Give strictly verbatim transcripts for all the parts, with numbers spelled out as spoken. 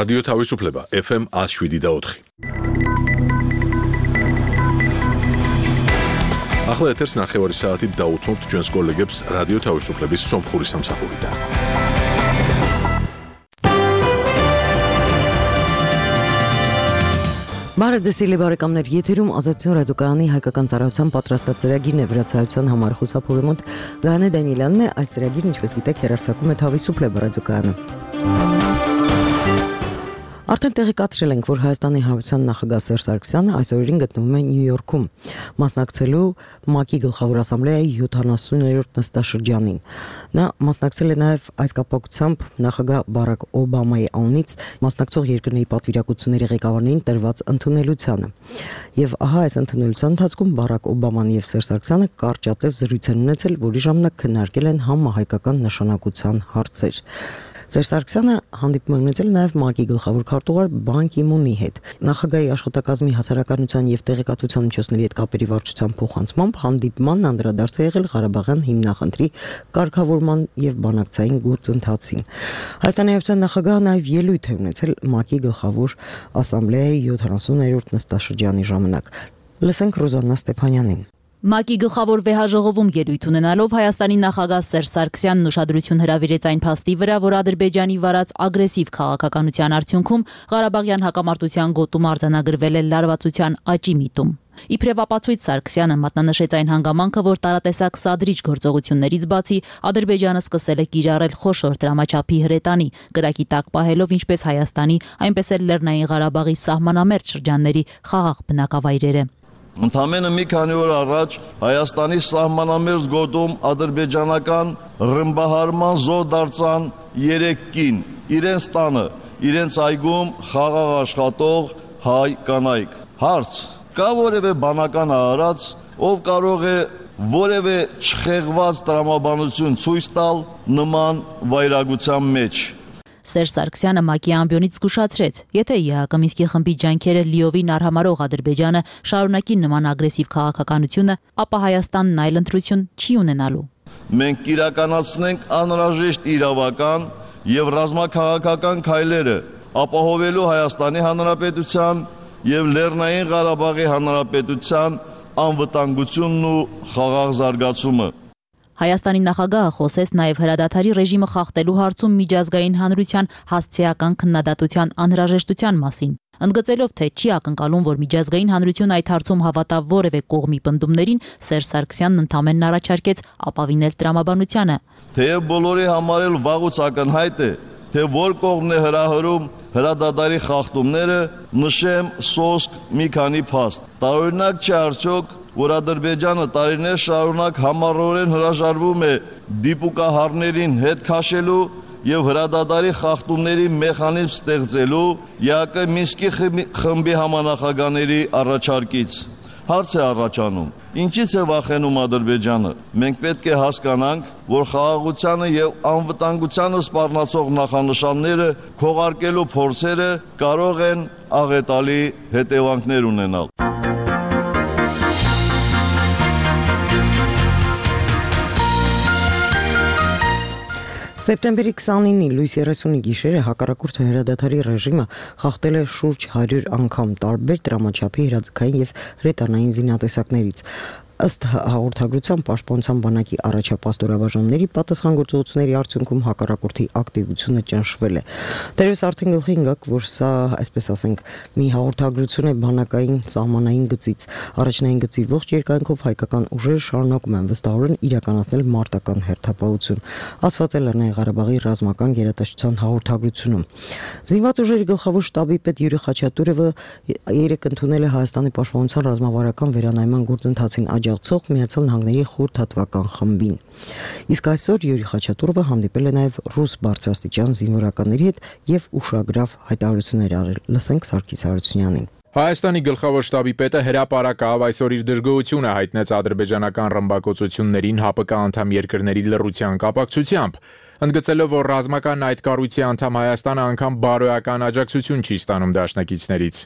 Ռադիո Թավիսուփլեբա Էֆ Էմ աշվիդի դաոթխի Ախլա եթերս նախևորի սաատի դաութմոտ ջոնս կոլեգեբս Ռադիո Թավիսուփլեբիս սոմփուրի սամսախուրիդա Բարը դեսիլի բարեկամներ, եթերում Ազատություն ռադիոկայանի հայկական ծառայության պատրաստած ծրագիրն է վրացայության համար խուսափողի մոտ Գայանե Դանիելյանն է, այս ծրագիրը ինչպես գիտեք հեռարձակում է Թավիսուփլեբա ռադիոկայանը։ Արդեն տեղեկացրել ենք, որ Հայաստանի Հանրապետության նախագահ Սերժ Սարգսյանը այս օրերին գտնվում է Նյու Յորքում, մասնակցելու ՄԱԿ-ի գլխավոր ասամբլեայի յոթանասուներորդ նստաշրջանին։ Նա մասնակցել է նաև այս կապակցությամբ նախագահ Բարակ Օբամայի անունից մասնակցող երկրների պատվիրակությունների ղեկավարներին տրված ընդունելությանը։ Եվ ահա այս ընդունելության ընթացքում Բարակ Օբաման եւ Սերժ Սարգսյանը կարճատև զրույց են ունեցել, որի ժամանակ քննարկել են համահայկական նշանակության հարցեր։ Սերժ Սարգսյանը հանդիպում է ունեցել նաև ՄԱԿ-ի գլխավոր քարտուղար Բան Կի Մունի հետ։ Նախագահի աշխատակազմի հասարակայնության եւ տեղեկատվության միջոցների հետ կապերի վարչության փոխանցմամբ հանդիպմանն անդրադարձ է եղել Ղարաբաղյան հիմնախնդրի կարգավորման եւ բանակցային գործընթացին։ Հայաստանի Հանրապետության նախագահը նաև ելույթ է ունեցել ՄԱԿ-ի գլխավոր ասամբլեայի յոթանասուներորդ նստաշրջանի ժամանակ։ Լսենք Ռոզաննա Ստեփանյանին։ ՄԱԿ-ի գլխավոր վեհաժողովում ելույթ ունենալով Հայաստանի նախագահ Սերժ Սարգսյանն ուշադրություն հրավիրեց այն փաստի վրա, որ Ադրբեջանի վարած ագրեսիվ քաղաքականության արդյունքում Ղարաբաղյան հակամարտության գոտում արձանագրվել է լարվածության աճի միտում։ Իբրև ապացույց Սարգսյանը մատնանշեց այն հանգամանքը, որ տարատեսակ սադրիչ գործողություններից բացի Ադրբեջանը սկսել է կիրառել խոշոր դրամաչափի հրետանի, կրակի տակ պահելով ինչպես Հայաստանի, այնպես էլ Լեռնային Ղարաբաղի սահմանամերձ շրջանների խաղաղ բնակավայրերը։ Ընդամենը մի քանի օր առաջ Հայաստանի սահմանամերձ գոտում ադրբեջանական ռմբահարման զոհ դարձան երեք կին, իրենց տանը, իրենց այգում խաղաղ աշխատող հայ կանայք։ Հարց. կա որևէ բանական արարած, ով կարող է որևէ չխեղված տրամաբանություն ցույց տալ նման վայրագության մեջ։ Սերժ Սարգսյանը ՄԱԿ-ի ամբիոնից զգուշացրեց, եթե ԵԱՀԿ Մինսկի խմբի ջանքերը լիովին արհամարող Ադրբեջանը շարունակի նման ագրեսիվ քաղաքականությունը, ապա Հայաստանն այլ ընտրություն չի ունենալու։ Մենք կիրականացնենք անհրաժեշտ իրավական եւ ռազմաքաղաքական քայլերը, ապահովելու Հայաստանի Հանրապետության եւ Լեռնային Ղարաբաղի Հանրապետության անվտանգությունն ու խաղաղ զարգացումը։ Հայաստանի նախագահը խոսեց նաև հրադադարի ռեժիմը խախտելու հարցում միջազգային հանրության հասցեական քննադատության անհրաժեշտության մասին, ընդգծելով, թե չի ակնկալում, որ միջազգային հանրությունը այդ հարցում հավատա որևէ կողմի պնդումներին, Սերժ Սարգսյանն ընդամենն առաջարկեց ապավինել տրամաբանությանը։ Թեև բոլորի համար էլ վաղուց ակնհայտ է, թե որ կողմն է հրահրում հրադադարի խախտումները, նշեմ սոսկ մի քանի փաստ։ Տարօրինակ չէ արդյոք, որ Ադրբեջանը տարիներ շարունակ համառորեն հրաժարվում է դիպուկահարներին հետ քաշելու եւ հրադադարի խախտումների մեխանիզմ ստեղծելու ԵԱՀԿ Մինսկի խմբի համանախագահների առաջարկից։ Հարց է առաջանում. ինչից է վախենում Ադրբեջանը։ Մենք պետք է հասկանանք, որ խաղաղությանը եւ անվտանգությանը սպառնացող նախանշանները քողարկելու փորձերը կարող են աղետալի հետևանքներ ունենալ։ Սեպտեմբերի քսանինի լույս երեսունի գիշերը հակառակորդի հրադադարի ռեժիմը խախտել է շուրջ հարյուր անգամ տարբեր դրամաչափի հրաձգային եւ հրետանային զինատեսակներից։ Ըստ հաղորդագրության Պաշտպանության բանակի առաջապատстоրաբաժանումների պատասխանատվությունների արդյունքում հակառակորդի ակտիվությունը ճնշվել է։ Դերևս արդեն գլխի ընկավ, որ սա, այսպես ասենք, մի հաղորդագրություն է բանակային սահմանային գծից։ Առաջնային գծի ողջ երկայնքով հայկական ուժերը շարունակում են վստահորեն իրականացնել մարտական հերթապահություն, ասված է Լեռնային Ղարաբաղի ռազմական գերատեսչության հաղորդագրությունում։ Զինված ուժերի գլխավոր շտաբի պետ Յուրի Խաչատուրովը երեկ ընդունել է Հայաստանի պաշտպանության ռազմավարական վերանայման գործընթացին աջակցող Միացյալ Նահանգների խորհրդատվական խմբին։ Իսկ այսօր Յուրի Խաչատուրովը հանդիպել է նաև ռուս բարձրաստիճան զինվորականների հետ եւ ուշագրավ հայտարարություններ արել։ Լսենք Սարգիս Հարությունյանին։ Հայաստանի գլխավոր շտաբի պետը հրապարակավ այսօր իր դժգոհությունը հայտնեց ադրբեջանական ռմբակոծություններին ՀԱՊԿ անդամ երկրների լռության կապակցությամբ, ընդգծելով, որ ռազմական այդ կառույցի անդամ Հայաստանը անգամ բարոյական աջակցություն չի ստանում դաշնակիցներից։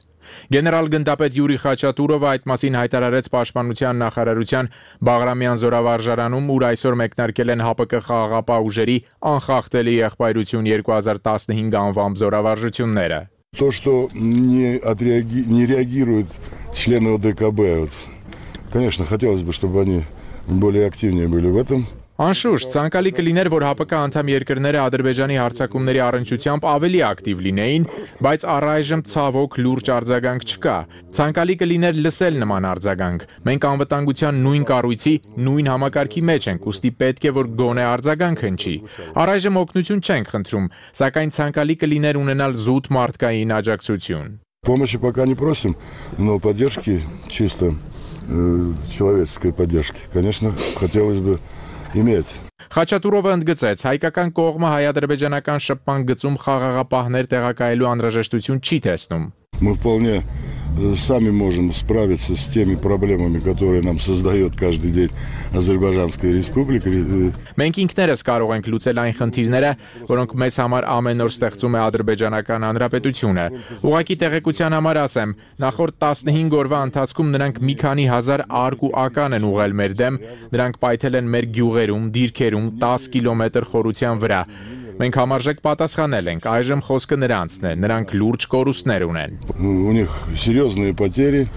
Գեներալ գնդապետ Յուրի Խաչատուրովը այդ մասին հայտարարեց Պաշտպանության նախարարության Բաղրամյան զորավարժարանում, ուր այսօր մեկնարկել են ՀԱՊԿ խաղաղապահ ուժերի անխախտելի եղբայրություն երկու հազար տասնհինգ անվամբ զորավարժությունները։ То, что не, отреаги... не реагируют члены О Д К Б, вот, конечно, хотелось бы, чтобы они более активнее были в этом. Անշուշտ, ցանկալի կլիներ, որ ՀԱՊԿ անդամ երկրները Ադրբեջանի հարձակումների առնչությամբ ավելի ակտիվ լինեին, բայց առայժմ ցավոք լուրջ արձագանք չկա։ Ցանկալի կլիներ լսել նման արձագանք։ Մենք անվտանգության նույն կառույցի, նույն համակարգի մեջ ենք, ուստի պետք է որ գոնե արձագանք հնչի։ Առայժմ օգնություն չենք խնդրում, սակայն ցանկալի կլիներ ունենալ զուտ մարդկային աջակցություն։ Помощи пока не просим, но поддержки чисто э, человеческой поддержки, конечно, хотелось бы иметь. Խաչատուրովը ընդգծեց, հայկական կողմը հայ-ադրբեջանական շփման գծում խաղաղապահներ տեղակայելու անհրաժեշտություն չի տեսնում։ Мы вполне сами можем справиться с теми проблемами, которые нам создает каждый день Азербайджанская республика. Մենք ինքներս կարող ենք լուծել այն խնդիրները, որոնք մեզ համար ամեն օր ստեղծում է Ադրբեջանական Հանրապետությունը։ Ուղղակի տեղեկության համար ասեմ, նախորդ տասնհինգ օրվա ընթացքում նրանք մի քանի հազար արկ ու ական են ուղղել մեր դեմ, նրանք պայթել են մեր գյուղերում, դիրքերում տասը կիլոմետր խորության վրա։ Մենք համարժեք պատասխանել ենք, այժմ խոսքը նրանցն է, նրանք լուրջ կորուստներ ունեն։ У них серьезные потери.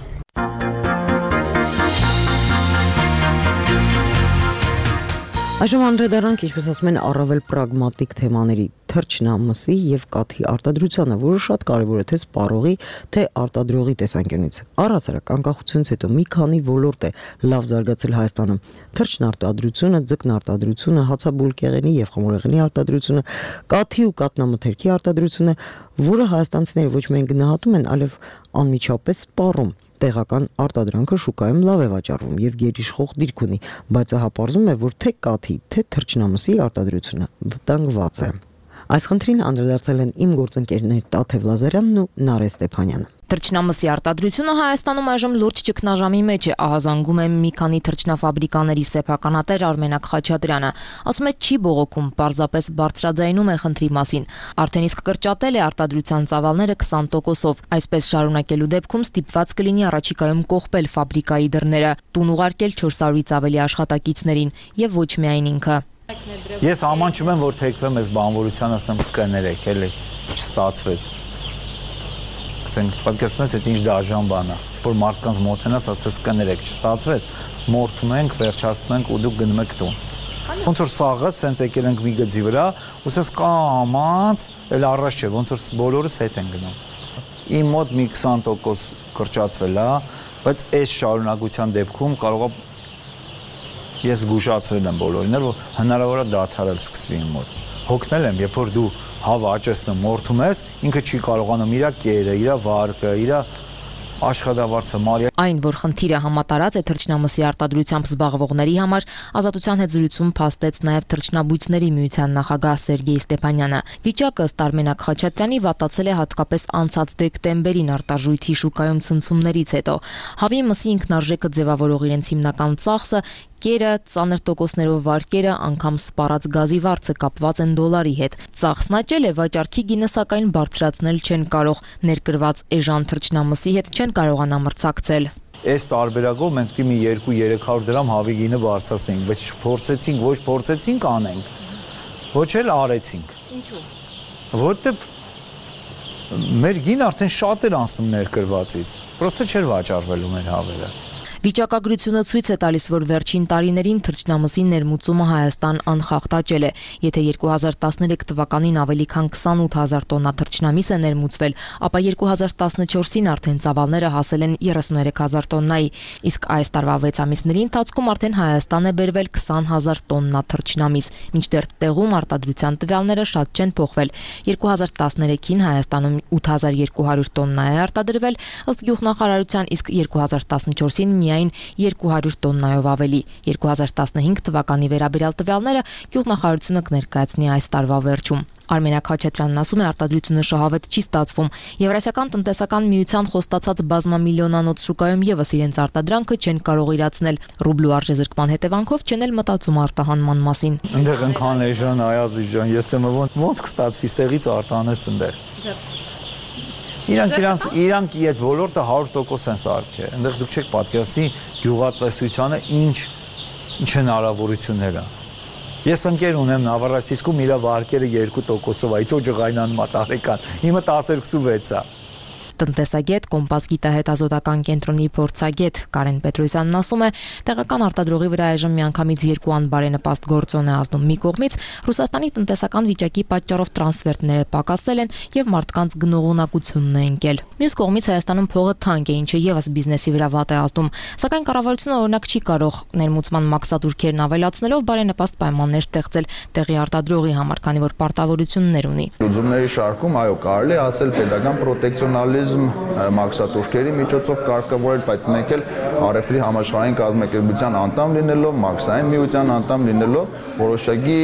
Այժմ անդրադառնանք, ինչպես ասում են, առավել պրագմատիկ թեմաների՝ թռչնամսի եւ կաթի արտադրությանը, որը շատ կարեւոր է թե սպառողի, թե արտադրողի տեսանկյունից։ Առհասարակ անկախությունից հետո մի քանի ոլորտ է լավ զարգացել Հայաստանում՝ թռչնարտադրությունը, ձկնարտադրությունը, հացաբուլկեղենի եւ խմորեղենի արտադրությունը, կաթի ու կաթնամթերքի արտադրությունը, որը հայաստանցիները ոչ միայն գնահատում են, այլև անմիջապես սպառում։ Տեղական արտադրանքը շուկայում լավ է վաճառվում եւ գերիշխող դիրք ունի, բայց հապարզում է, որ թե կաթի, թե թռչնամսի արտադրությունը վտանգված է։ Այս խնդրին անդրադարձել են իմ գործընկերներ Տաթև Լազարյանն ու Նարէ Ստեփանյանը։ Թռչնամսի արտադրությունը Հայաստանում այժմ լուրջ ճգնաժամի մեջ է, ահազանգում է մի քանի թռչնաֆաբրիկաների սեփականատեր Արմենակ Խաչատրյանը։ Ասում է, չի բողոքում, պարզապես բարձրաձայնում է խնդրի մասին։ Արդեն իսկ կրճատել է արտադրության ծավալները քսան տոկոսով։ Այսպես շարունակելու դեպքում ստիպված կլինի առաջիկայում կողպել ֆաբրիկայի դռները, տուն ուղարկել չորս հարյուրից ավելի աշխատակիցներին եւ ոչ միայն ինքը։ Ես ամանչում եմ, որ թեքվեմ այս բանվորության, ասեմ կներեք, էլի չստացվեց։ Ասենք, պատկերացնում ես, այդ ինչ դաժան բան է, որ մարդկանց մոտենաս ասես կներեք, չստացվեց, մորթում ենք, վերջացնում ենք ու դուք գնում եք տուն։ Ոնց որ սաղը սենց եկել ենք մի գծի վրա, ու ասես կամաց, էլ առաջ չէ, ոնց որ բոլորս հետ են գնում։ Իմ մոտ մի քսան տոկոս կրճատվել է, բայց այս շարունակության դեպքում կարող է ես զգուշացրել եմ բոլորին, որ հնարավոր է դադարել սկսվի իմ մոտ։ Հոգնել եմ, երբ որ դու հավը աճեցնում, մորթում ես, ինքը չի կարողանում իր կերը, իր վարկը, իր աշխատավարձը մարիա։ Այն, որ խնդիրը համատարած է թռչնամսի արտադրությամբ զբաղվողների համար, Ազատության հետ զրույցում փաստեց նաև թռչնաբույծների միության նախագահ Սերգեյ Ստեփանյանը։ Վիճակը ըստ Արմենակ Խաչատրյանի վատացել է հատկապես անցած դեկտեմբերին արտարժույթի շուկայում ցնցումներից հետո։ Հավի մսի ինքնարժեքը ձևավորող իրենց հիմնական ծախսը կերը, ծանր տոկոսներով վարկերը, անգամ սպառած գազի վարձը կապված են դոլարի հետ։ Ծախսն աճել է, վաճառքի գինը սակայն բարձրացնել չեն կարող, ներկրված էժան թռչնամսի հետ չեն կարողանա մրցակցել։ Այս տարբերակով մենք դիմի երկու-երեք հարյուր դրամ հավի գինը բարձրացնենք, բայց փորձեցինք, ոչ փորձեցինք անենք, ոչ էլ արեցինք։ Ինչու՞։ Որտեվ մեր գինը արդեն շատ էր անցնում ներկրվածից, պրոստը չէր վաճառվելու մեր հավերը։ Վիճակագրությունը ցույց է տալիս, որ վերջին տարիներին թռչնամսի ներմուծումը Հայաստան անխախտ աճել է։ Եթե երկու հազար տասներեք թվականին ավելի քան քսանութ հազար տոննա թռչնամիս է ներմուծվել, ապա երկու հազար տասնչորսին արդեն ծավալները հասել են երեսուններեք հազար տոննայի, իսկ այս տարվա վեց ամիսների ընթացքում արդեն Հայաստան է բերվել քսան հազար տոննա թռչնամիս, մինչդեռ տեղում արտադրության տվյալները շատ չեն փոխվել։ երկու հազար տասներեքին Հայաստանում ութ հազար երկու հարյուր տոննա է արտադրվել, ըստ գյուղնախարարության, իսկ երկու հազար տասնչորսին միայն երկու հարյուր տոննայով ավելի։ երկու հազար տասնհինգ թվականի վերաբերյալ տվյալները գյուղնախարարությունը կներկայացնի այս տարվա վերջում։ Արմենակ Խաչատրյանն ասում է, արտադրությունը շահավետ չի ստացվում։ Եվրասիական տնտեսական միության խոստացած բազմամիլիոնանոց շուկայում եւս իրենց արտադրանքը չեն կարող իրացնել։ Ռուբլու արժեզրկման հետևանքով չեն էլ մտածում արտահանման մասին։ Այնտեղ ընկան էժան, այազի ջան, եթե ոնց ոնց կստացվի ստեղից արտանես այնտեղ։ Իրանք իրանք իրանք այդ ոլորտը հարյուր տոկոս են սարքել։ Այնտեղ դուք չեք պատկերացնի գյուղատնտեսությանը ինչ ինչ հնարավորություններ են։ Ես ընկեր ունեմ Նավառացիցքում, իր վարկերը երկու տոկոսով, այդ օջղայնան մատարեկան։ Իմը տասներկուսուվեց է։ Տնտեսագետ, Կոմպաս գիտահետազոտական կենտրոնի փորձագետ Կարեն Պետրոսյանն ասում է, տեղական արտադրողի վրա այժմ միանգամից երկու անբարենպաստ գործոն է ազդում։ Մի կողմից Ռուսաստանի տնտեսական վիճակի պատճառով տրանսֆերտները պակասել են եւ մարդկանց գնողունակությունն է ընկել։ Մյուս կողմից Հայաստանում փողը թանկ է, ինչը եւս բիզնեսի վրա վատ է ազդում։ Սակայն կառավարությունը օրինակ չի կարող ներմուծման մաքսատուրքերն ավելացնելով բարենպաստ պայմաններ ստեղծել տեղի արտադրողի համար, քանի որ պարտավորություններ ունի։ Լուծումների շարքում այո, կարելի է ասել պետական պրոտեկցիոնալիզմ մաքսատուրքերի միջոցով կարգավորել, բայց մենք էլ առևտրի համաշխարհային կազմակերպության անդամ լինելով, մաքսային միության անդամ լինելով, որոշակի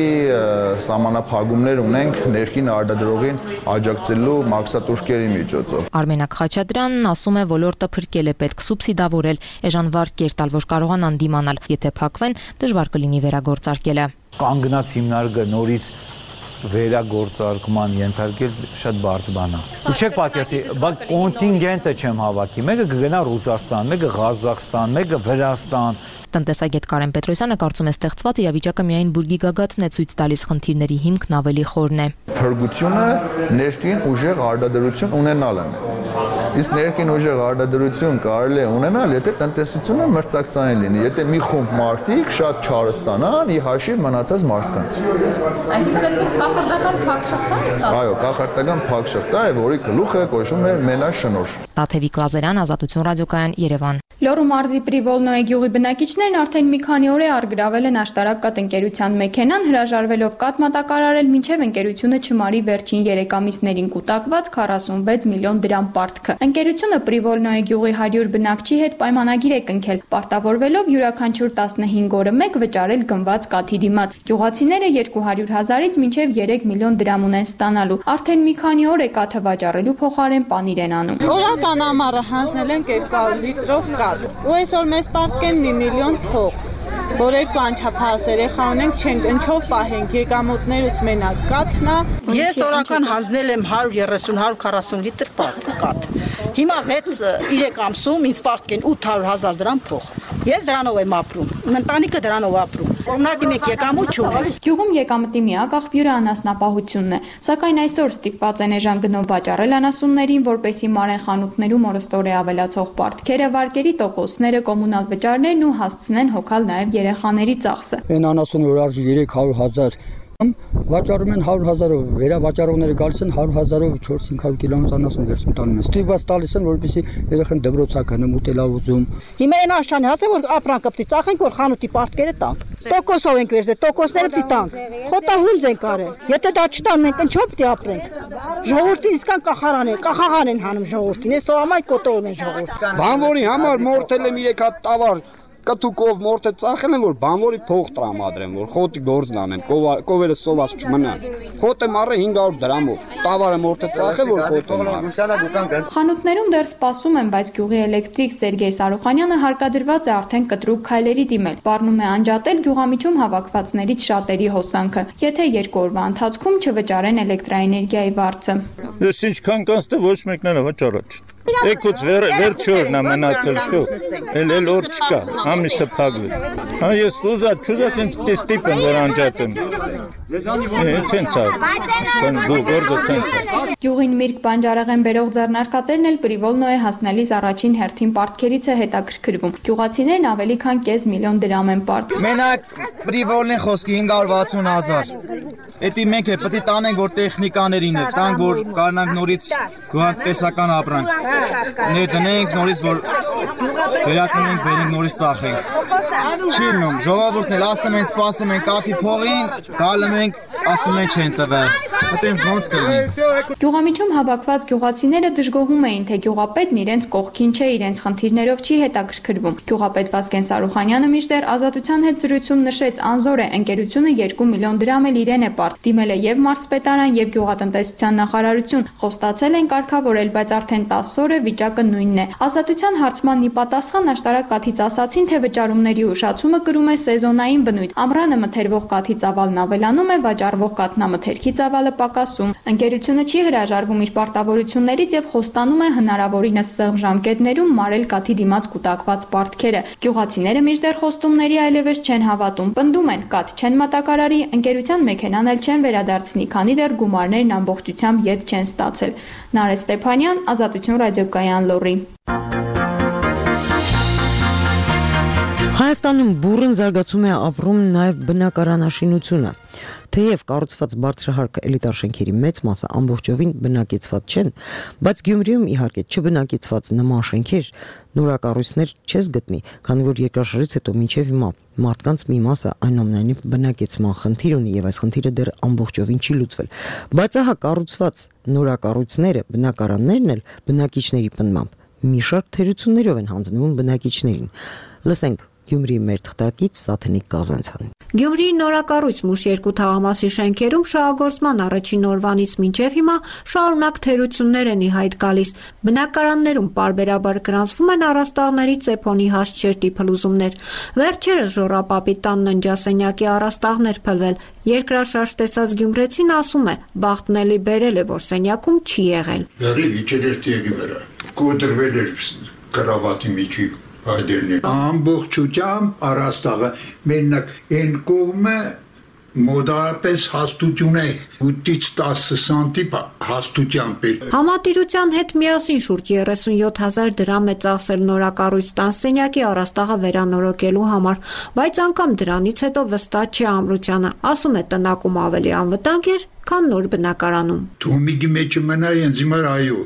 սահմանափակումներ ունենք ներքին արտադրողին աջակցելու մաքսատուրքերի միջոցով։ Արմենակ Խաչատրյանն ասում է, ոլորտը փրկել է, պետք սուբսիդավորել, էժանվար կերտալ, որ կարողանան դիմանալ, եթե փակվեն, դժվար կլինի վերագործարկելը։ Կանգնած հիմնարկը նորից վերագործարկման ենթարկել շատ բարդ բան է։ Դուք չեք պատկերացնի, բայց կոնտինգենտը չեմ հավաքի։ Մեկը կգնա Ռուսաստան, մեկը Ղազախստան, մեկը Վրաստան։ Տնտեսագետ Կարեն Պետրոսյանը կարծում է, ստեղծված իրավիճակը միայն բուրգի գագաթն է ցույց տալիս, խնդիրների հիմքն ավելի խորն է։ Փրկությունը ներքին ուժեղ արտադրություն ունենալն է։ Իսկ ներքին ուժեղ արտադրություն կարելի է ունենալ, եթե տնտեսությունը մրցակցային լինի, եթե մի խումբ մարդիկ շատ չարը ստանան ի հաշիվ մնացած մարդկանց։ Այսինքն այդպես կախարդական փակ շղթա է ստացվում։ Այո, կախարդական փակ շղթա է, որի գլուխը կոչվում է Մելաշնոր։ Տաթևիկ Լազարյան, Ազատություն ռադիոկայան, Երևան։ Լոռու մարզի Պրիվոլնոյե գյուղի բնակիչներն արդեն մի քանի օր է արգրավել են աշտարակ կաթ ընկերության մեքենան, հրաժարվելով կաթ մատակարարել, մինչև ընկերությունը չմարի վերջին երեք ամիսներին կուտակված քառասունվեց միլիոն դրամ պարտքը։ Ընկերությունը Պրիվոլնոյե գյուղի հարյուր բնակչի հետ պայմանագիր է կնքել, պարտավորվելով յուրաքանչյուր տասնհինգ օրը մեկ վճարել գնված կաթի դիմաց։ Գյուղացիները երկու հարյուր հազարից մինչև երեք միլիոն դրամ ունեն ստանալու։ Արդեն մի քանի օր է կաթը վաճառելու փոխարեն պանիր են անում։ Օրական ամառը հանձնել են երկու լիտրով կաթ։ Ու այսօր մեզ պարտքեն մի միլիոն փող, որ երկու անչափահաս երեխա ունենք, չենք ընչով պահենք, եկամուտներս մենակ կաթն է։ Ես օրական հանձնել եմ հարյուր երեսուն հարյուր քառասուն լիտր կաթ։ Հիմա վեց երեք ամսում ինձ պարտքեն ութ հարյուր հազար դրամ փող։ Ես դրանով եմ ապրում, ընտանիքը դրանով ապրում։ Օրինակ մեկ եկամուտ չունեմ։ Գյուղում եկամտի միակ աղբյուրը անասնապահությունն է, սակայն այսօր ստիպված են էժան գնով վաճառել անասուններին, որպեսզի մարեն խանութներում օրստորե ավելացող պարտքերը, վարկերի տոկոսները, կոմունալ վճարներն ու հասցնեն հոգալ նաև երեխաների ծախսը։ Այն անասունը որ արժի երեք հարյուր հազար վաճառում են հարյուր հազարով, վերավաճառողները գալիս են հարյուր հազարով չորս-հինգ հարյուր կիլոմետր անասուն վերցնում տանում են։ Ստիպված տալիս են, որպեսզի երեխան դպրոցա գնա, ուտելա ուզում։ Հիմա այն աշճանի հասե որ ապրանքը պիտի ծախենք, որ խանութի պարտքերը տանք։ Տոկոսով ենք վերցել, տոկոսները պիտի տանք։ Խոտահունձ են կարել։ Եթե դա չտան, մենք ինչով պիտի ապրենք։ Ժողովրդին իսկան կախարան են, կախաղան են հանում ժողովրդին։ Այս սովամայ կոտորում են ժողովուրդ։ Բանվորի համար մորթել եմ երեք հատ տավար կտուկով մորթը ծախել են, որ բանվորի փող տրամադրեն, որ խոտի գործն անեն, կովերը սոված չմնան։ Խոտը մարը հինգ հարյուր դրամով, տավարը մորթը ծախել, որ խոտը մարը։ Խանութներում դեռ սպասում են, բայց գյուղի էլեկտրիկ Սերգեյ Սարուխանյանը հարկադրված է արդեն կտրուկ քայլերի դիմել։ Պարնում է անջատել գյուղամիջում հավաքվածներից շատերի հոսանքը, եթե երկու օրվա ընթացքում չվճարեն էլեկտրաէներգիայի վարձը։ Ես ինչքան կանցնե ոչ մեկն էլ վճարած։ Եկուց վեր վերջորն ամենացել շո։ Էլ էլ օր չկա, ամիսը փակվել։ Հա ես ուզած չուզած ինձ ստիպեն որ անջատեմ։ Տենց է։ Դու գործը տենց է։ Գյուղին միրգ բանջարեղեն բերող ձեռնարկատերն էլ Պրիվոլնոյե հասնելիս առաջին հերթին պարտքերից է հետաքրքրվում։ Գյուղացիներն ավելի քան կես միլիոն դրամ են պարտ։ Մենակ Պրիվոլնոյե խոսքի հինգ հարյուր վաթսուն հազար։ Էդի մենք է պետք է տանենք որ տեխնիկաներին է, տանք որ կարողանանք նորից գյուղատնտեսական ապրանք ներդնենք, նորից որ վերածնենք, բերենք նորից ծախենք։ Չի լինում, ժողովուրդն էլ ասում են, սպասում են կաթի փողին, գալում ենք, ասում են չեն տվել։ Այդպես ոնց կլինի։ Գյուղամիջում հավաքված գյուղացիները դժգոհում էին, թե գյուղապետն իրենց կողքին չէ, իրենց խնդիրներով չի հետաքրքրվում։ Գյուղապետ Վազգեն Սարուխանյանը մինչդեռ Ազատության հետ զրույցում նշեց, անզոր է, ընկերությունը երկու միլիոն դրամ էլ իրեն է պարտ։ Դիմել է եւ մարզպետարան, եւ գյուղատնտեսության նախարարություն, խոստացել են կարգավորել, բայց արդեն տասը օր է վիճակը նույնն է։ Ազատության հարցման ի պատասխան աշտարակ կաթից ասացին, թե վճարումների ուշացումը կրում է սեզոնային բնույթ։ Ամռանը մթերվող կաթի ծավալն ավելանում է, վաճառվող կաթնամթերքի ծավալը պակասում։ Ընկերությունը չի հրաժարվում իր պարտավորություններից եւ խոստանում է հնարավորինս սեղմ ժամկետներում մարել կաթի դիմաց կուտակված պարտքերը։ Գյուղացիները մինչդեռ խոստումների այլևս չեն հավատում, պնդում են, կաթ չեն մատակարարի, ընկերության մեքենան էլ չեն վերադարձնի, քանի դեռ գումարներն ամբողջությամբ ետ չեն ստացել։ Նարէ Ստեփանյան, Ազատություն ռադիոկայան Լոռի։ Հայաստանում բուռն զարգացում է ապրում նաև բնակարանաշինությունը։ Թեև կառուցված բարձրահարկ էլիտար շենքերի մեծ մասը ամբողջովին բնակեցված չեն, բայց Գյումրիում իհարկե չբնակեցված նման շենքեր, նորակառույցներ չես գտնի, քանի որ երկրաշարժից հետո մինչև հիմա մարդկանց մի մասը այնուամենայնիվ բնակեցման խնդիր ունի եւ այս խնդիրը դեռ ամբողջովին չի լուծվել։ Բայց ահա կառուցված նորակառույցները, բնակարաններն էլ բնակիչների պնդմամբ մի շարք թերություններով են հանձնվում բնակիչներին։ Լսենք Գյումրիի մեր թղթակից Սաթենիկ Կազանցյանին։ Գյումրիի նորակառույց Մուշ երկու թաղամասի շենքերում շահագործման առաջին օրվանից մինչև հիմա շարունակ թերություններ են ի հայտ գալիս։ Բնակարաններում պարբերաբար գրանցվում են առաստաղների ծեփոնի հաստ փլուզումներ։ Վերջերս Ժոռապապի տան ննջասենյակի առաստաղներ փլվել։ Երկրաշարժ տեսած գյումրեցին ասում է, բախտն էլի բերել է, որ սենյակում չի եղել։ Բերի վիճերերտի վրա կոտրվել էր կրավատի միջի Այդերնի ամբողջությամբ առաստաղը մենակ այն կողմը մոդարապես հաստություն է ութից տասը սանտիմ հաստությամբ է։ Համատիրության հետ միասին շուրջ երեսունյոթ հազար դրամ է ծախսել նորակառույց տանսենյակի առաստաղը վերանորոգելու համար, բայց անգամ դրանից հետո վստահ չի ամրությանը, ասում է տնակում ավելի անվտանգ էր, քան նոր բնակարանում։ Թոմիգի մեջը մնա ինձ հիմա այո,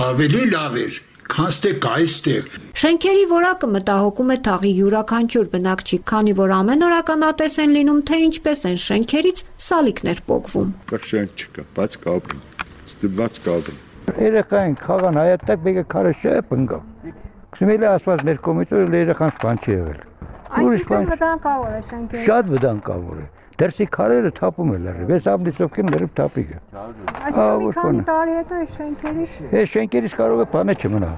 ավելի լավ էր։ Քանստեք այստեղ։ Շենքերի որակը մտահոգում է թաղի յուրաքանչյուր բնակչի, քանի որ ամեն օր ականատես են լինում, թե ինչպես են շենքերից սալիկներ պոկվում։ Շենք չկա, բայց կապրի, ստիպված կապրի։ Երեխային խաղան հայատակ բեկը քարը շեպ ընկավ։ Քսմելի ասված մեր կոմիտորը երեխան սպան չի եղել։ Ուրիշ բան։ Վտանգավոր է շենքերը։ Շատ վտանգավոր է։ Դերսի քարերը թափում են լրիվ, ես աբլիցովքին լրիվ թափիկ է։ Այսինքն քանի տարի հետո է շենքերից։ Է շենքերից կարող է բանը չմնա։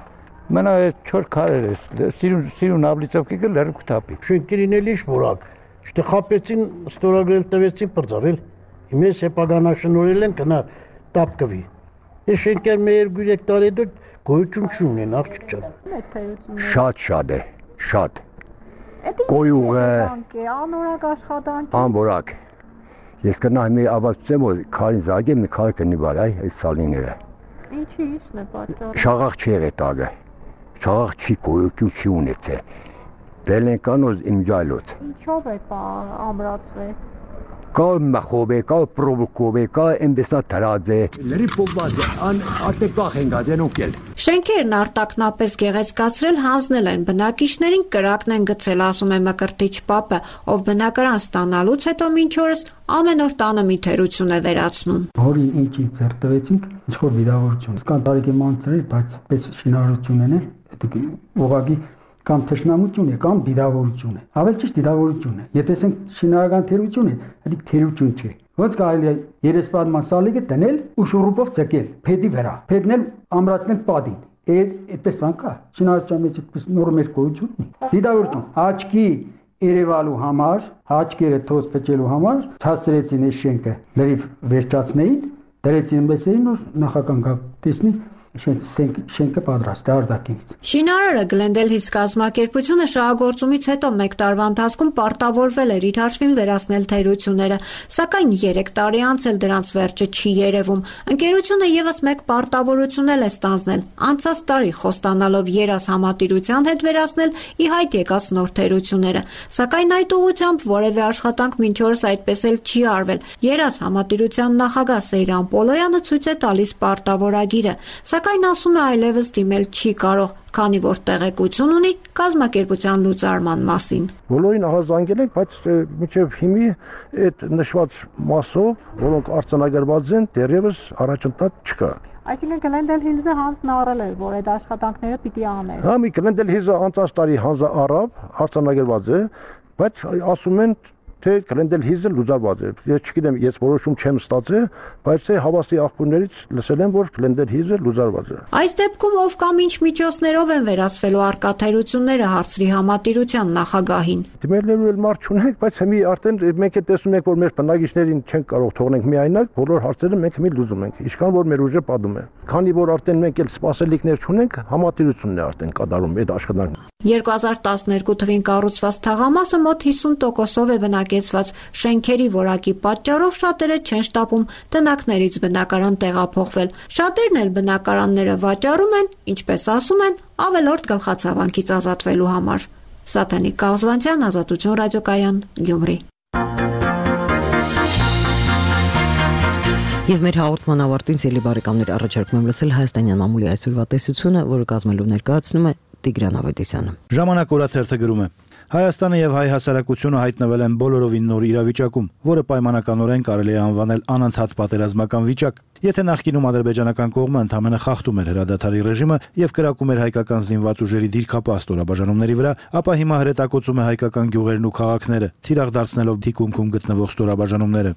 Մնա չոր քարեր է, սիրուն սիրուն աբլիցովքիկը լրիվ թափիկ։ Շենքերին էլ ինչ որակ։ Շտե խապեցին, ստորագրել տվեցին բրձավել։ Հիմես հեպագանաշնորել են կնա տապկվի։ Այս շենքեր մեր երկու երեք տարի հետո գոյություն չունեն, աղջիկ ջան։ Շատ շատ է, շատ։ Կոյուղը անորակ աշխատանք անորակ ես կնայեմ մի ավացեմ որ քարին զագեմ մի քար կնի վար այ այս սալիները ինչի իսն է պատճառը շաղախ չի եղել տագը շաղախ չի գոյություն չի ունեցել դել են կանոզ իմջալոց ինչով է ամրացվել կա մախոբե կա պրովոկովե կա այնտեսա դրած է լրի փոքված ան արտեկախ են գազեն ուկել Շենքերն արտակնապես գեղեցկացրել հանձնել են բնակիչներին կրակն են գցել ասում է Մկրտիչ Պապը ով բնակարան ստանալուց հետո մինչ օրս ամեն օր տանը մի թերություն է վերացնում Հորի ինչի ծեր տվեցինք ինչ որ վիրավորություն սկան տարիքի մանցրել բայց պես շինարարություն են դա ուղղակի կամ թշնամություն է կամ դիդավորություն է ավելի ճիշտ դիդավորություն է եթե ասենք շինարարական թերություն է դա թերություն չէ ոնց կարելի է երեսպատման սալիկը դնել ու շուրուպով ցկել փեդի վրա փեդն էլ ամրացնել պատին այդպես բան կա շինարարության մեջ այդպես նորմեր գոյություն ունի դիդավորություն աչքի երևալու համար աչքերը թոս փչելու համար հասցրեցին այս շենքը լրիվ վերջացնեին դրեցին մեծերին ու նախական տեսնի շենքը պատրաստ է արտաքինից Շինարարը Գլենդելհիս կազմակերպությունը շահագործումից հետո մեկ տարվա ընթացքում պարտավորվել էր իր հաշվին վերացնել թերությունները, սակայն երեք տարի անց էլ դրանց վերջը չի երևում։ Ընկերությունը եւս մեկ պարտավորություն էլ է ստանձնել՝ անցած տարի խոստանալով երաս համատիրության հետ վերացնել ի հայտ եկած նոր թերությունները, սակայն այդ ուղղությամբ որևէ աշխատանք մինչ օրս այդպես էլ չի արվել։ Երաս համատիրության նախագահ Սեյրան Պոլոյանը ցույց է տալիս պարտավորագիրը, Սակայն ասում է այլևս դիմել չի կարող, քանի որ տեղեկություն ունի կազմակերպության լուծարման մասին։ Բոլորին ահազանգել ենք, բայց մինչև հիմի այդ նշված մասով, որոնք արձանագրված են, դեռևս առաջընթաց չկա։ Այսինքն Գլենդելհիլզը հանձն առել էր, որ այդ աշխատանքները պիտի աներ։ Հա, մի Գլենդելհիլզը անցած տարի հանձը առավ, արձանագրված է, բայց ասում են թե Glendale Hills-ը լուծարված է։ Ես չգիտեմ, ես որոշում չեմ ստացել, բայց թե հավաստի աղբյուրներից լսել եմ, որ Glendale Hills-ը լուծարված է։ Այս դեպքում ով կամ ինչ միջոցներով են վերացվելու արկաթերությունները հարցրի համատիրության նախագահին։ Դիմելու էլ մարդ չունենք, բայց հիմի արդեն մենք է տեսնում ենք, որ մեր բնակիչներին չենք կարող թողնենք միայնակ, բոլոր հարցերը մենք հիմի լուծում ենք, ինչքան որ մեր ուժը պատում է։ Քանի որ արդեն մենք էլ սպասելիքներ չունենք, համատիրությունն է արդեն կատարում այդ աշխատանքը։ երկու հազար տասներկու թվին կառուցված թաղամասը մոտ հիսուն տոկոսով է բնակեցված, շենքերի որակի պատճառով շատերը չեն շտապում տնակներից բնակարան տեղափոխվել։ Շատերն էլ բնակարանները վաճառում են, ինչպես ասում են, ավելորդ գլխացավանքից ազատվելու համար։ Սատանիկ Կազվանցյան, Ազատություն ռադիոկայան, Գյումրի։ Եվ մեր հաղորդման ավարտին սիրելի բարեկամներ առաջարկում եմ լսել հայաստանյան մամուլի այսօրվա տեսությունը, որը կազմելու ներկայացնում է Տիգրան Ավետիսյանը։ Ժամանակ օրաթերթը գրում է. Հայաստանը եւ հայ հասարակությունը հայտնվել են բոլորովին նոր իրավիճակում, որը պայմանականորեն կարելի է անվանել անընդհատ պատերազմական վիճակ։ Եթե նախկինում ադրբեջանական կողմը ընդամենը խախտում էր հրադադարի ռեժիմը եւ կրակում էր հայկական զինված ուժերի դիրքապահ ստորաբաժանումների վրա, ապա հիմա հրետակոծում է հայկական գյուղերն ու քաղաքները, թիրախ դարձնելով թիկունքում գտնվող ստորաբաժանումները։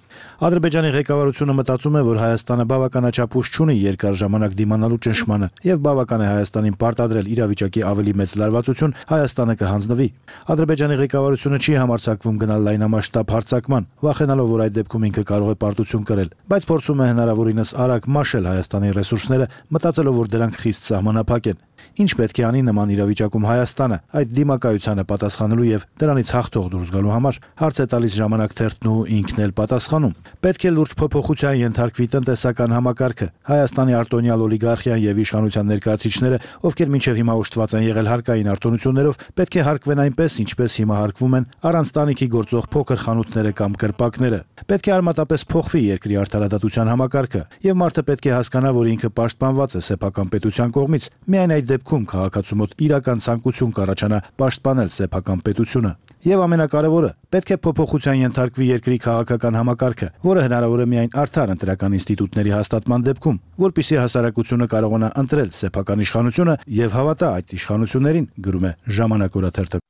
Ադրբեջանի ղեկավարությունը մտածում է, որ Հայաստանը բավականաչափ ուժ չունի երկար ժամանակ դիմանալու ճնշմանը եւ բավական է Հայաստանին պարտադրել իրավիճակի ավելի մեծ լարվածություն, Հայաստանը կհանձնվի։ Ադրբեջանի ղեկավարությունը չի համարձակվում գնալ լայնամասշտաբ հարձակման, վախենալով, որ այդ դեպքում ինքը կարող է պարտություն կրել, բայց փորձում է հնարավորինս արագ մաշել Հայաստանի ռեսուրսները, մտածելով, որ դրանք խիստ սահմանափակ են։ Ինչ պետք է անի նման իրավիճակում Հայաստանը այդ դիմակայությանը պատասխանելու եւ դրանից հաղթող դուրս գալու համար, հարց է տալիս Ժամանակ թերթն ու ինքն էլ պատասխանում։ Պետք է լուրջ փոփոխության ենթարկվի տնտեսական համակարգը։ Հայաստանի արտոնյալ օլիգարխիան եւ իշխանության ներկայացուցիչները, ովքեր մինչեւ հիմա ուշտված են եղել հարկային արտոնություններով, պետք է հարկվեն այնպես, ինչպես հիմա հարկվում են առանց տանիքի գործող փոքր խանութները կամ կրպակները։ Պետք է արմատապես փոխվի երկրի արդարադատության համակարգը եւ մարդը պետք է հասկանա, որ ինքը պաշտպանված է սեփական պետության կողմից։ Միայն այդ դեպքում քաղաքացու մոտ իրական ցանկություն կառաջանա պաշտպանել սեփական պետությունը։ Եվ ամենակարևորը, պետք է փոփոխության ենթարկվի երկրի քաղաքական համակարգը, որը հնարավոր է միայն արդար ընտրական ինստիտուտների հաստատման դեպքում, որպեսզի հասարակությունը կարողանա ընտրել սեփական իշխանությունը եւ հավատա այդ իշխանություններին, գրում է Ժամանակ օրաթերթը։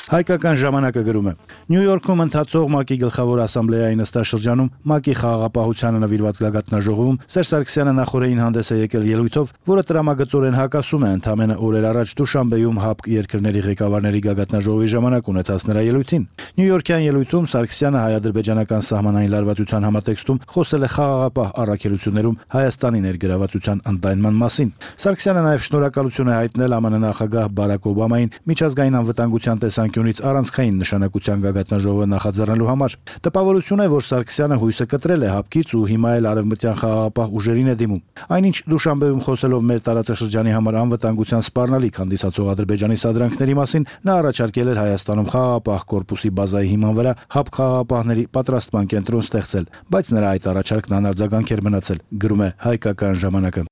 Հայկական ժամանակը գրում է. Նյու Յորքում ընթացող ՄԱԿ-ի գլխավոր ասամբլեայի նստաշրջանում ՄԱԿ-ի խաղաղապահությանը նվիրված գագաթնաժողովում Սերժ Սարգսյանը նախորդին հանդես է եկել ելույթով, որը տրամագծորեն հակասում է ընդամենը օրեր առաջ Դուշանբեում ՀԱՊԿ երկրների ղեկավարների գագաթնաժողովի ժամանակ ունեցած նրա ելույթին։ Նյու Յորքյան ելույթում Սարգսյանը հայ-ադրբեջանական սահմանային լարվածության համատեքստում խոսել է խաղաղապահ առաքելություններում Հայաստանի ներգրավվածության ընդայնման մասին։ Սարգսյանը նաև շնորհակալություն է հայտնել ԱՄՆ նախագահ Բարակ Օբամային միջազգային անվտանգության տեսանկյունից առանցքային նշանակության գագաթնաժողովը նախաձեռնելու համար։ Տպավորություն է, որ Սարգսյանը հույսը կտրել է ՀԱՊԿ-ից ու հիմա էլ արևմտյան խաղաղապահ ուժերին է դիմում։ Այնինչ Դուշանբեում խոսելով մեր տարածաշրջանի համար անվտանգության սպառնալիք հանդիսացող Ադրբեջանի սադրանքների մասին, նա առաջարկել էր Հայաստանում խաղաղապահ կորպուսի բազայի հիման վրա ՀԱՊԿ խաղաղապահների պատրաստման կենտրոն ստեղծել, բայց նրա այդ առաջարկն անարձագանք էր մնացել, գրում է Հայկական ժամանակը։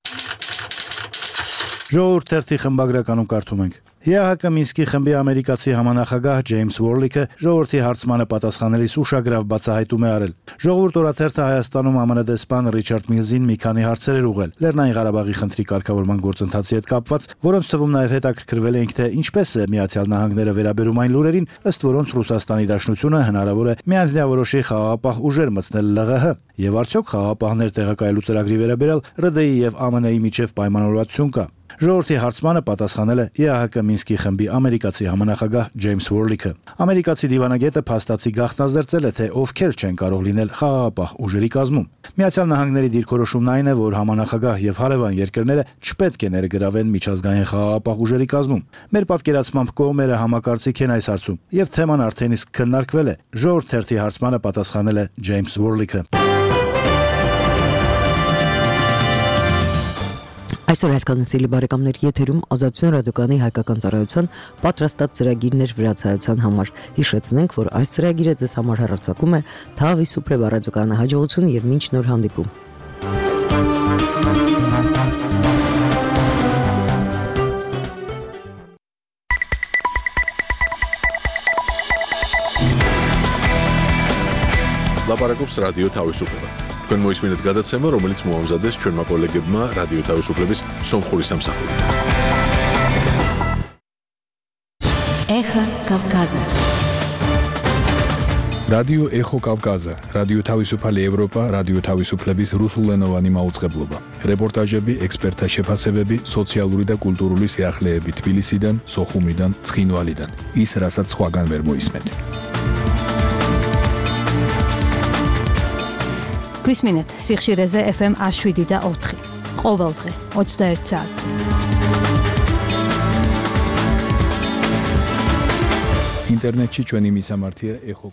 Ժողովուրդ թերթի խմբագրականում կարդում ենք. ԵԱՀԿ Մինսկի խմբի ամերիկացի համանախագահ Ջեյմս Ուորլիքը ժողովրդի հարցմանը պատասխանելիս ուշագրավ բացահայտում է արել։ Ժողովուրդ օրաթերթը Հայաստանում ԱՄՆ դեսպան Ռիչարդ Միլզին մի քանի հարցեր էր ուղղել Լեռնային Ղարաբաղի խնդրի կարգավորման գործընթացի հետ կապված, որոնց թվում նաև հետաքրքրվել էինք, թե ինչպես է Միացյալ Նահանգները վերաբերում այն լուրերին, ըստ որոնց Ռուսաստանի Դաշնությունը հնարավոր է միանձնյավորոշի խաղաղապահ ուժեր մտցնել ԼՂՀ, եւ արդյոք խաղաղապահներ տեղակայելու ծրագրի վերաբերյալ ՌԴ-ի եւ ԱՄՆ-ի միջև պայմանավորվածություն կա։ Ժողովրդի հարցմանը պատասխանել է ԵԱՀԿ Մինսկի խմբի ամերիկացի համանախագահ Ջեյմս Ուորլիքը։ Ամերիկացի դիվանագետը փաստացի գաղտնազերծել է, թե ովքեր չեն կարող լինել խաղաղապահ ուժերի կազմում։ Միացյալ Նահանգների դիրքորոշումն այն է, որ համանախագահ եւ հարևան երկրները չպետք է ներգրավեն միջազգային խաղաղապահ ուժերի կազմում։ Մեր պատկերացմամբ կողմերը համակարծիք են այս հարցում, եւ թեման արդեն իսկ քննարկվել է։ Ժողովուրդ թերթի հարցմանը պատասխանել է Ջեյմս Ուորլիքը։ Այսօր հասկանալի բարեկամներ եթերում Ազատություն ռադիոկայանի հայկական ծառայության պատրաստած ծրագիրներ վրացայության համար։ Հիշեցնենք, որ այս ծրագիրը ձեզ համար հեռարձակում է Թավի Սուպրե ռադիոկայանի հաջողություն եւ մինչ նոր հանդիպում։ Լապարակոպս ռադիո Թավի Սուպրե Քան մոյս մինետ գադացեմը, რომელიც մոհամզադես չորմա կոլեգեբմա ռադիո Թավի Սուպրեբիս Սոմխորի Սամսախորի։ Эхо Кавказа. Ռադիո Էխո Կավկազը, Ռադիո Თავისუფალი Եվրոպա, Ռադիո Თავისუფლების ռուսულենովանի մաուწყებლობა։ Ռեպորտաժები էքսպերտա շեփասեբեբի սոցիալուրի და კულტურული სიახლეები თბილისიდან, სოხუმიდან, ცხინვალიდან. ის რასაც სხვაგან ვერ მოისმენთ. გვისმინეთ სიხშირეზე ეფ ემ one seven და ოთხი. ყოველდღე ოცდაერთ საათზე. ინტერნეტში ჩვენი მისამართია ეხო